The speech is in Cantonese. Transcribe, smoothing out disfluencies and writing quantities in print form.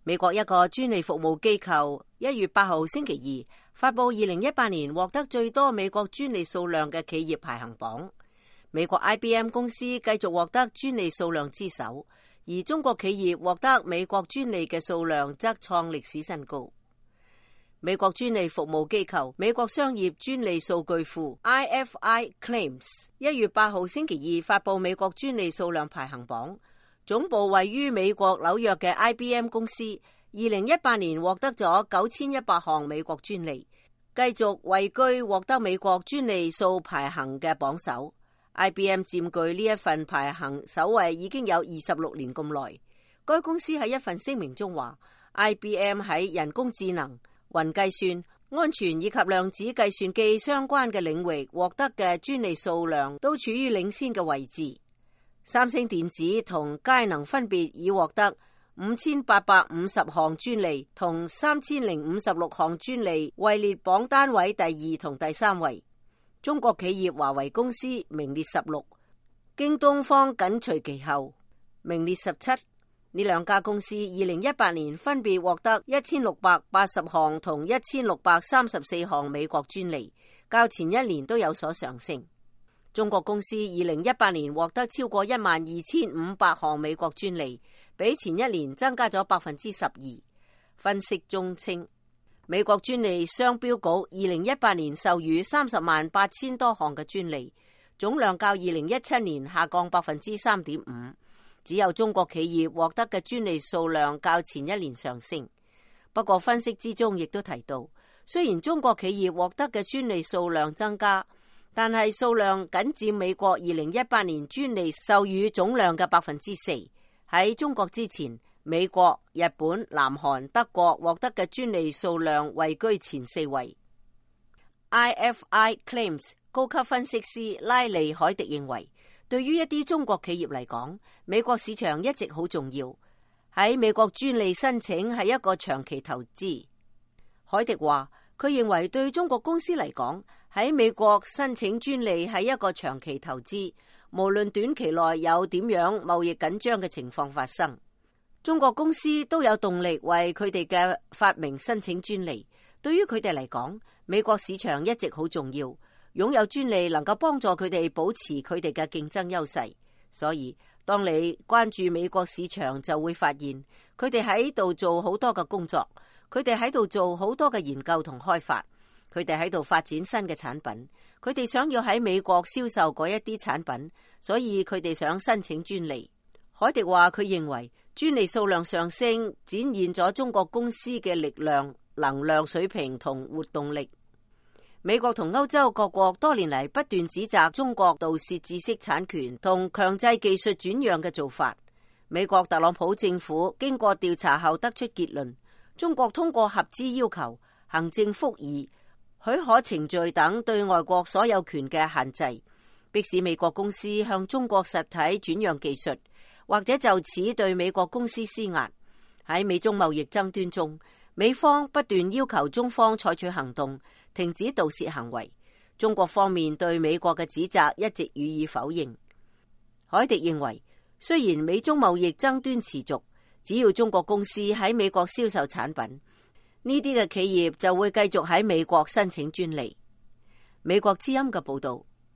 美國一個專利服務機構1月8號星期二發佈2018年獲得最多美國專利數量嘅企業排行榜。美國 IBM 公司繼續獲得專利數量之首，而中國企業獲得美國專利嘅數量則創歷史新高。美國專利服務機構美國商業專利數據庫 IFI Claims 1月8號星期二發佈美國專利數量排行榜。總部位於美國紐約嘅 IBM 公司2018年獲得咗9100項美國專利，繼續位居獲得美國專利數排行嘅榜首。IBM 佔據呢一份排行首位已經有26年咁耐。該公司喺一份聲明中話， IBM 喺人工智能、雲計算、安全以及量子計算機相關嘅領域獲得嘅專利數量都處於領先嘅位置。三星電子同佳能分別已獲得5850項專利同3056項專利，位列榜單位第2同第3位。中國企業華為公司名列16，京東方緊隨其後，名列17。呢兩家公司2018年分別獲得1680項同1634項美國專利，較前一年都有所上升。中國公司2018年獲得超過12500項美國專利，比前一年增加咗12%。分析中稱，美國專利商標局2018年授予308000多項嘅專利，總量較2017年下降3.5%。只有中國企業獲得嘅專利數量較前一年上升。不過分析之中亦都提到，雖然中國企業獲得嘅專利數量增加，但係數量僅佔美國2018年專利授予總量嘅4%。喺中國之前，美國、日本、南韓、德國獲得嘅專利數量位居前4位。IFI Claims 高級分析師拉利海迪認為，對於一啲中國企業嚟講，美國市場一直好重要。喺美國專利申請係一個長期投資。海迪話，佢認為對中國公司嚟講，喺美國申請專利係一個長期投資，無論短期內有點樣貿易緊張嘅情況發生，中國公司都有動力為佢哋嘅發明申請專利。對於佢哋嚟講，美國市場一直好重要，擁有專利能夠幫助佢哋保持佢哋嘅競爭優勢。所以當你關注美國市場，就會發現佢哋喺度做好多嘅工作，佢哋喺度做好多嘅研究同開發，佢哋喺度發展新嘅產品，佢哋想要喺美國銷售嗰一啲產品，所以佢哋想申請專利。海迪話，佢認為專利數量上升展現咗中國公司嘅力量、能量水平同活動力。美國同歐洲各國多年嚟不斷指責中國盜竊知識產權同強制技術轉讓嘅做法。美國特朗普政府經過調查後得出結論，中國通過合資要求、行政復議、許可程序等對外國所有權嘅限制，迫使美國公司向中國實體轉讓技術，或者就此對美國公司施壓。喺美中貿易爭端中，美方不斷要求中方採取行動，停止盜竊行為。中國方面對美國嘅指責一直予以否認。海迪認為，雖然美中貿易爭端持續，只要中國公司喺美國銷售產品，呢啲嘅企業就會繼續喺美國申請專利。美國之音嘅報道。